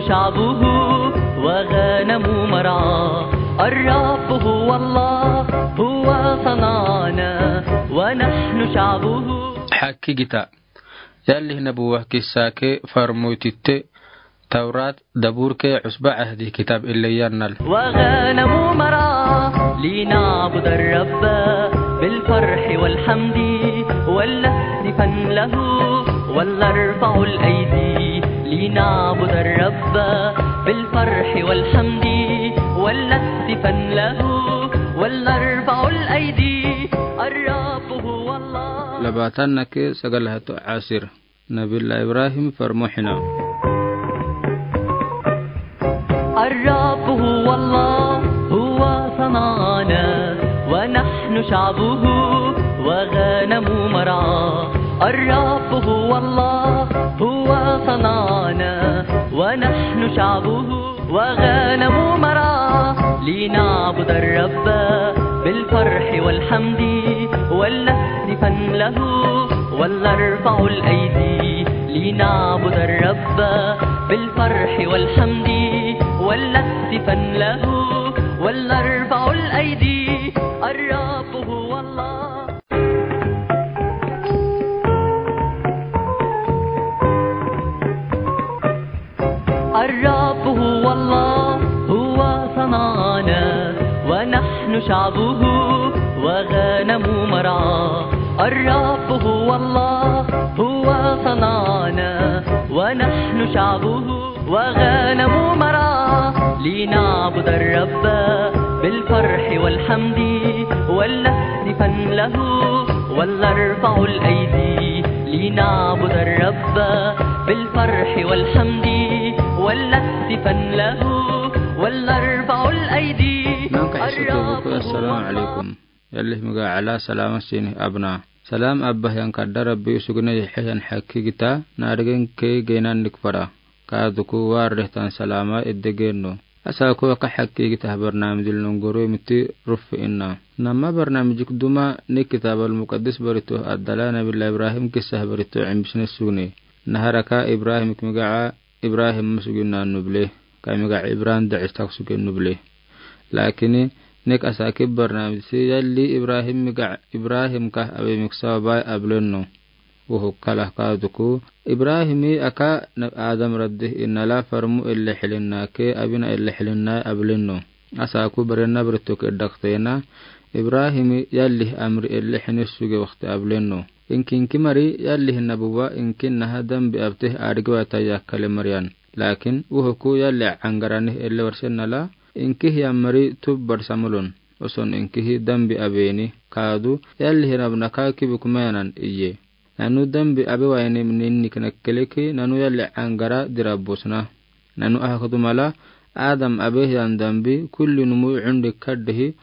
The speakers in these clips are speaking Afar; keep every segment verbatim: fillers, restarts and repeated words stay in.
شعبه وغنم مرعاه. الرب هو الله، هو صنعنا ونحن شعبه. Hakkii gita. Yalli nabuwa kissa ke farmoytitte Tawrat, Zabur ke Cusba Cahdi kitab ille yannal. وغنم مرعاه لنعبد الرب بالفرح والحمد ولنهتفن له ولنرفع الأيدي. لنعبد الرب بالفرح والحمد ولنهتفن له ولنرفع الأيدي. الرب هو الله. Labaatanna ke sagal hato Asir. Nabiyullah Ibrahim farmo xina. الرب هو الله، هو صنعنا ونحن شعبه وغنم مرعاه. الرب هو الله، هو صنعنا ونحن شعبه وغنم مرعاه. لنعبد الرب بالفرح والحمد ولنهتفن له ولنرفع الأيدي. لنعبد الرب بالفرح والحمد ولنهتفن له ولنرفع الأيدي. الرب هو الله. الرب هو الله، هو صنعنا ونحن شعبه وغنم مرعاه. الرب هو الله، هو صنعنا ونحن شعبه وغنم مرعاه. لنعبد الرب بالفرح والحمد ولنهتفن له ولنرفع الأيدي. لنعبد الرب بالفرح والحمد ولنهتفن له ولنرفع الأيدي. Naŋka Isa tubuku, الرب هو السلام الله. عليكم. Yallih migaxa Ala, salama sinih abna. Salam abbahiyan kadda Rabbi usugine yixiyan hakkii gita, naadegen ke geynan nikfara. Kaaduku warrehtan salama edde geno. Asaku aka hakkii gita barnaamijil nongoro miti rufi inna. Nama barnaamijik duma ni kitabal muqaddis barito addala Nabiyullah Ibrahim kissa barito imbisne sugni. Naharaka Ibrahim migaxa Ibrahim masuginna nuble. Ka migaxa Ibrahim dacistak suge nuble. Lakini nek asaki barnaamij si yalli Ibrahim migaxa Ibrahim ka abe miksawa bai ablenno. Wuxu kala kaaduku Ibrahimi aka na-, Adam raddi innala farmu elle xilinna ke abina elle xilinna ablenno. Asaku barenna barito ke daktena Ibrahimi yalli amri elle xini suge wakti ablenno. Inki inki mari yalli nabuwa inki naha dambi abteh adgiwa tayakale mariyan. Lakin wuxuku yalli angaranih elle warsennala inki hiyan mari tub barsamulun. Oson inki hi dambi abeni kaadu yalli hinabnaka kibi kumayanan iye. Nanu dambi abe wayne ninnik nakkeleki nanu yalli angara dirabusna. Nanu ahakudumala Adam abehiyan dambi kulli numu undi kaddihi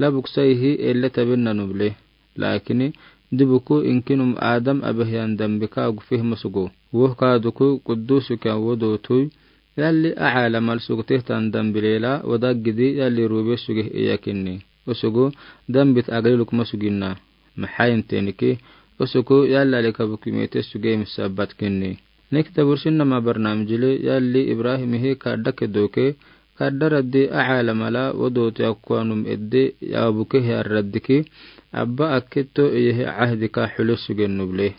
labuk saihi elle tabin nanu bile. Lakini dibuku inkinum Adam abehiyan dambi ka gufih masugu. Wuh kaaduku quddusu kiyan wodootui yalli axa lamal sugtihtan dambi lela wadaggidi yalli rube sugih iyakinni. Usugu dambit agli lukma suginna. Maxayinteniki usugu yalli alika bukimete suge misabatkinni. Nek tabursin nama barnaamijili yalli Ibrahimihi kadda kedoke kadda raddi axa lamala wodooti akkuwanum edde yabuke hiyan raddiki abba akketo iyehi cahdi ka xule sugen nuble.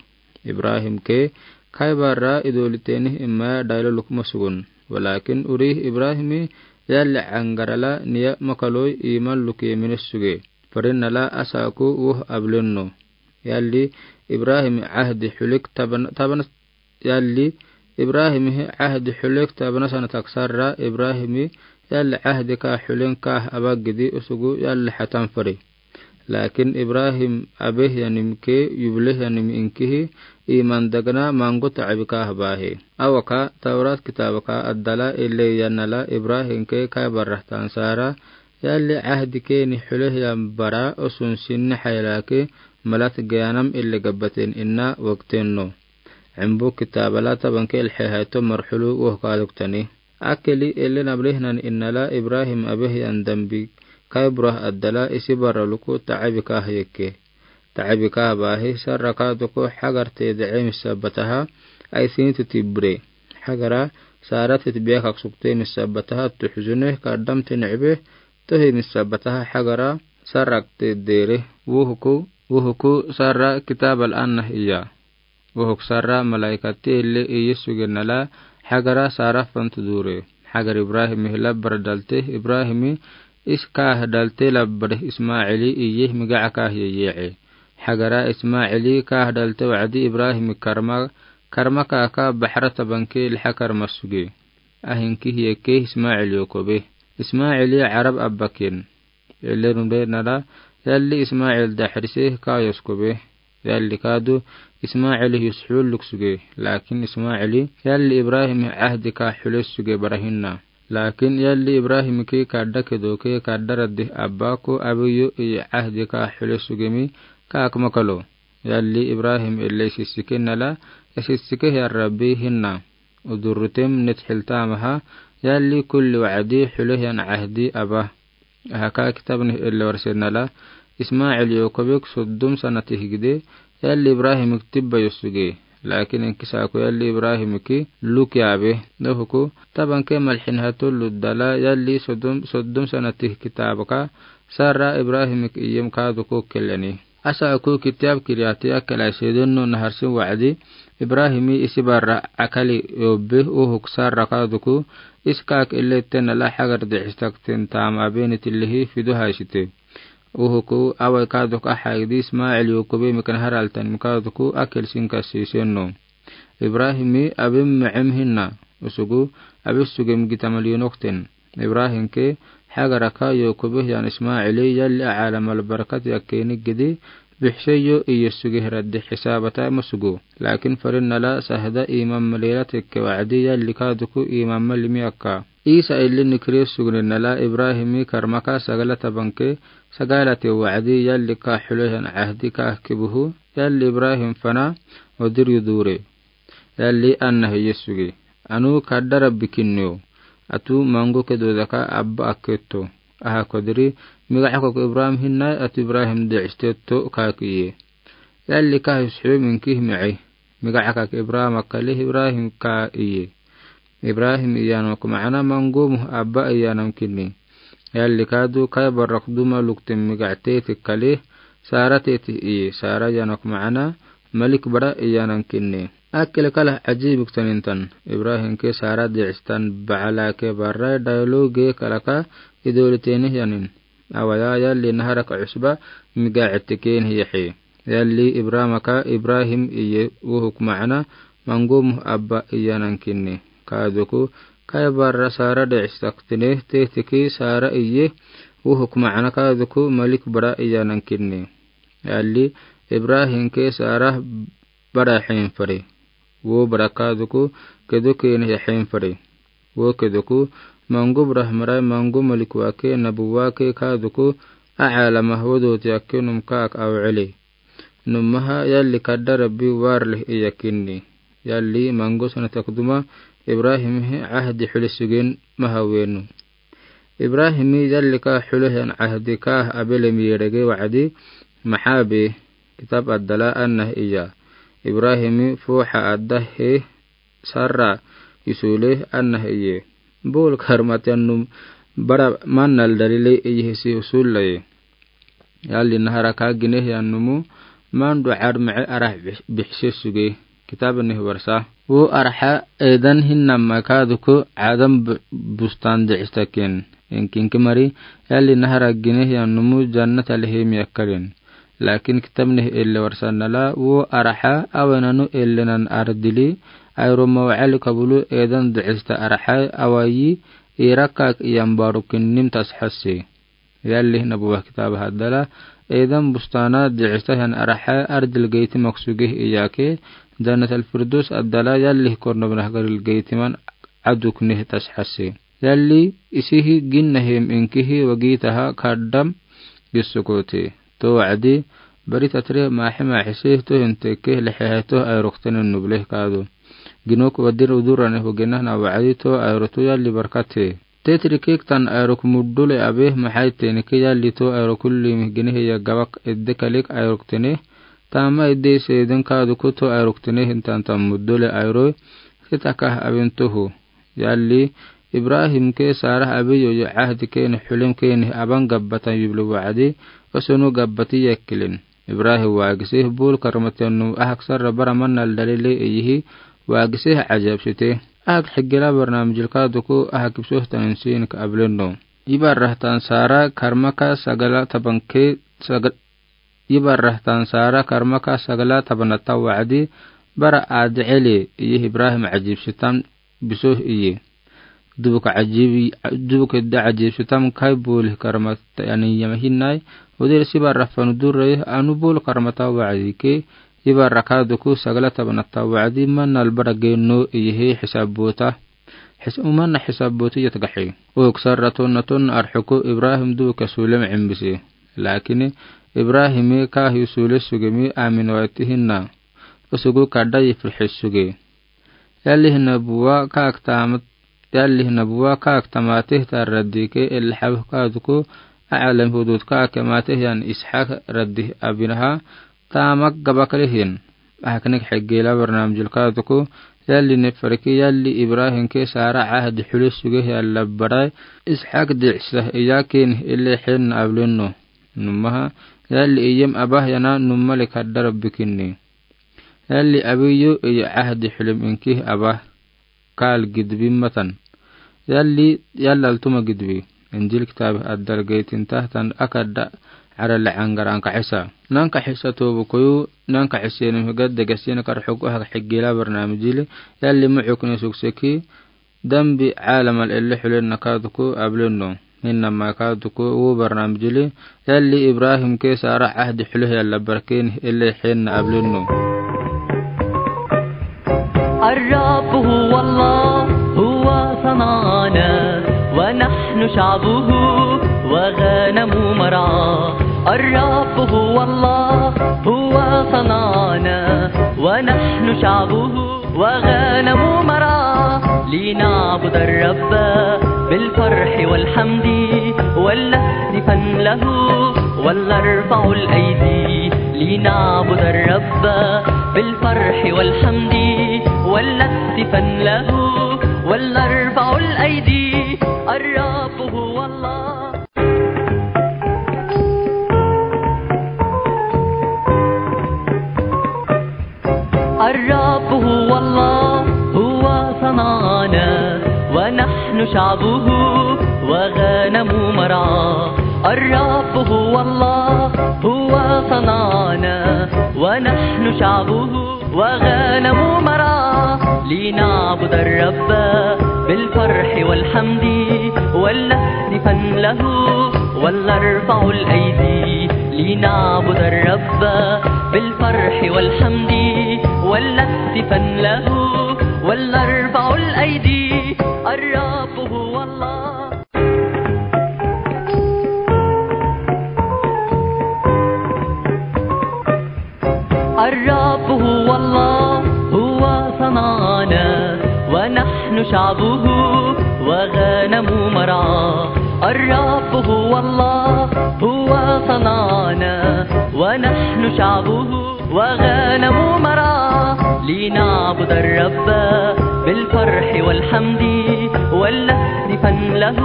Ibrahim ke kai barra idoolitenih imaya daylo lukma sugun. Walakin urih Ibrahimi yalli angarala niya makaloi iman luke mines suge. Farinnala asaku wuh ablenno. Yalli Ibrahimi cahdi xulik tabana, tabana, yalli Ibrahimihi cahdi xulik tabana sana taksarra Ibrahimi yalli cahdi ka xulen kah abaggidi usugu yalli xatan fari. Lakin Ibrahim abehyanim ke yublehyanim inkihi iman dagna mangu tacbi kah bahe. Awaka Tawrat kitabaka addala ille yannala Ibrahim ke kai barrahtan sara yalli cahdi keni xulehyan bara osun sinni xaylaki malat gayanam ille gabbaten inna wagtenno. Cimbu kitabala tabanke ilxehayto marxulu wuh kaaduktani. Akeli ellen ablehnan innala Ibrahim abehyan dambi kai burah addala isi barra luku tacbi kah yekke. Tacbi kah bahi sarra kaaduku xagarte dece misabataha aisini titibre. Xagara Sara tetebia kak sukte misabataha tuxzune kadam tenecbe tohi misabataha Hagara Sara kte dere. Wuhuku, wuhuku Sara kitab al-anna iya. Wuhuk Sara malaikati elle iye suge nala Hagara Sara fantu dure. Hagar Ibrahim hila baradalte Ibrahim is kahdalte labbar Ismaili iye migaca kahye yece. Hagara Ismaili kahdalte wacdi Ibrahim karma, karma kaka bahrata banke lha karma suge. Ahinki hiyeke Ismaili yokobe. Ismaili Arab abbakin. Ele nunde nala yalli Ismail daxrise kayos kobe. Yalli kadu Ismail yusxul luk suge. Lakin Ismaili yalli Ibrahim ahdi ka xule suge barahinna. Lakin yalli Ibrahim ki kadda kedoke kadda raddi abba ko abiyo i ahdi ka xule sugemi ka akmakalo. Yalli Ibrahim ele sisike nala, sisike ya Rabbi hinna. Udurrutem net xiltamaha, yalli kulli wacdi xule yan ahdi aba. Ahaka kitabnih elle warse nala, Ismail yokobek soddom sana tihgide, yalli Ibrahim tibba yosuge. Lakin inkisako yalli Ibrahim ki luk yabe. Dohuku, tabanke malxin hatullu dala, yalli soddom, soddom sana tih kitabaka, Sara Ibrahim iyem kaduku keleni. Asa aku kitab kiriyati akela sedonno naharsin wacdi, Ibrahimi isi barra akali yobbe uhuk Sara kaduku, iskak ilette nala Hagar dicistakten tam abeni tilihi fidu haisite. Uhuku awai kaduk ahagdi Ismail yokobe mikan haraltan mikaduku akel sinka sisenno. Ibrahimi abim mecem hinna, usugu abis sugem gitamal yonokten. Ibrahim ke Hagaraka yokobe yan Ismaili yalli alamal barakat yakkeni gidi, bixseyo iye suge raddi xisabata masugu. Lakin farin nala sahda iman malila tekke wacdi yalli kaduku iman malimi akka. Isa illi nikri sugni nala Ibrahimi karmaka sagala tabanke sagalate wacdi yalli ka xule yan ahdi ka kibuhu, yalli Ibrahim fana odir yudure. Yalli anna hiye suge. Anu kadda Rabbi kinniyo. Atu mango kedodaka abba akketo. Aha kodiri, migaca kok Ibrahim hinna atu Ibrahim dicistetto kak iye. Yalli ka hisxu minki himece. Migaca kak Ibrahim akali Ibrahim ka iye. Ibrahim iyanok macana mangomuh abba iyanam kinni. Yalli kadu kai barak duma luktin migac teti kali, Sara teti iye, Sara yanok macana malik bara iyanan kinni. Akil kala ajibik tanintan, Ibrahim ke Sara dicistan bacala ke bara daylo ge kalaka idoliteni yanin. Awaya yalli naharaka cusba migac teken hiyaxe. Yalli Ibrahim aka Ibrahim iye uhuk macana mangomuh abba iyanan kinni. Kaduku kai bara Sara dicistaktineh tetiki Sara iye uhuk macana kaduku malik bara iyanan kinni. Yalli Ibrahim ke Sara bara xen fare. Wo bara kaduku kedo keni xen fare. Wo kedoku mango bara hamarai mango malik wake nabu wake kaduku a alama wodote ake num kak awcele. Numaha yalli kadda Rabbi warleh iyakinni. Yalli mango sana takduma Ibrahim he ahdi xule sugen maha wenu. Ibrahimi yalli ka xule hen ahdi ka abele mirege wacdi maxabe kitab addala anna iya. Ibrahimi fuxa adda he Sara isule anna iye. Bul karmati annum bara mannal dalile iye hisi usulaye. Yalli naharaka gineh yannumu mandu armece arah bixse suge. Kitab nih warsa. Wo arxa Eden hinnama kaduku Adam bustan dicistaken. Inkinki mari yalli nahara gineh yannumu jannata lehemi akkalin. Lakin kitab nih elle warsa nala wo arxa awenanu ellenan ardili, ayroma wacali kabulu Eden dicista arxa awayi irakak iyan barukin nim tasxasi. Yalli nabuwa kitab haddala, Eden bustana dicista han arxa ardil geiti maksugeh iyake, jannat al-firdus addala yalli kornobnah garil geitiman aduk nih tasxasi. Yalli isihi ginnahem inkihi wagitaha kaddam gissukote. To wacdi, bari tatre maxe maxese to hinteke lexehe to ayroktene nubleh kadu. Ginok wadir udurane hugenahna wacdi to ayrotu yalli barkate. Tetrikik tan ayrok muddule abe maxaytenike yalli to ayrokulli mihginehe ya gabak edde kalik ayroktene. Tama edde seedin kaduku to ayroktene hintan tan muddule ayro. Kitakah abin tuhu. Yalli, Ibrahimke Sara abiyo ye cahdi kene xulem kene aban gabbatan yubli wacdi, osono gabbati yakkilin. Ibrahim waagise, bul karmatenu ahak sarra bara manal dalile iyihi, waagise ajabsite. Ahak xigila barnamijil kaaduku ahak ibsohtan insinik ableno. Ibarrahtan Sara karmaka sagala tabanke, saga-, Ibarrahtan Sara karmaka sagala tabanatan wacdi, bara adiceli iyihi Ibrahim ajibsitan bisoh iye. Dubuk ajib, dubuk da ajibsitan kai bul karmata yani yamahinai, udir sibarrah fanu durre anu bul karmata wacdi ke, ibarrah kaaduku sagala tabanatan wacdi manal bara geno iyihi xisabota. Xis-, umana xisaboti yatgaxi. Oksar raton naton arxuku Ibrahim duuka sulem cimbisi. Lakini Ibrahimi kaahi sule sugemi amin waitihinna. Osugu kadda yifrixi suge. Yalli hina buwa kaak tama-, yalli hina buwa kaak tamateh ta raddi ke el xabh kaaduku acalam hudud kaak mateh yan Ishak raddi abinaha. Tamak gabakalihin. Ahak nik xigila barnamijil kaaduku, yalli nefarki, yalli Ibrahimke Sara cahdi xuli suge yalla barai, Ishak dicsah iyakin ile xinna ableno. Numaha, yalli iyem abah yana numali kadda Rabbi kinni. Yalli abiyo iya cahdi xulim inki abah. Kaal gidbi matan. Yalli, yalli altuma gidbi. Injil kitaab addal geytin tahtan akadda arale angar ankaxisa. Nankaxisa tobu koyu, nankaxisa ni hugad degasin kar xug ahak xigila barnamijili. Yalli muxukni sukseki. Dambi caalamal ele xulen nakaaduku ableno. Hinna makaaduku u barnamijili. Yalli Ibrahimke Sara cahdi xulih yalla barkin ele xinna ableno. الرب هو الله، هو صنعنا، ونحن شعبه وغنم مرعاه. الرب هو الله، هو صنعنا، ونحن شعبه وغنم مرعاه، لنعبد الرب بالفرح والحمد، ولنهتفن له، ولنرفع الأيدي، لنعبد الرب بالفرح والحمد، ولنهتفن له، ولنرفع الأيدي. الرب هو الله. الرب هو الله، هو صنعنا، ونحن شعبه وغنم مرعاه. الرب هو الله، هو صنعنا، ونحن شعبه وغنم مرعاه. لنعبد الرب بالفرح والحمد، ولنهتفن له، ولنرفع الأيدي. لنعبد الرب بالفرح والحمد، ولنهتفن له، ولنرفع الأيدي. الرب هو الله. الرب هو الله، هو صنعنا، ونحن شعبه وغنم مرعاه. الرب هو الله، هو صنعنا، ونحن شعبه وغنم مرعاه. لنعبد الرب بالفرح والحمد، ولنهتفن له،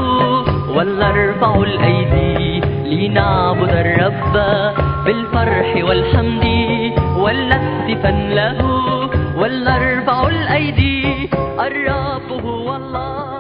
ولنرفع الأيدي. لنعبد الرب بالفرح والحمد، ولنهتفن له، ولنرفع الأيدي. الرب هو الله.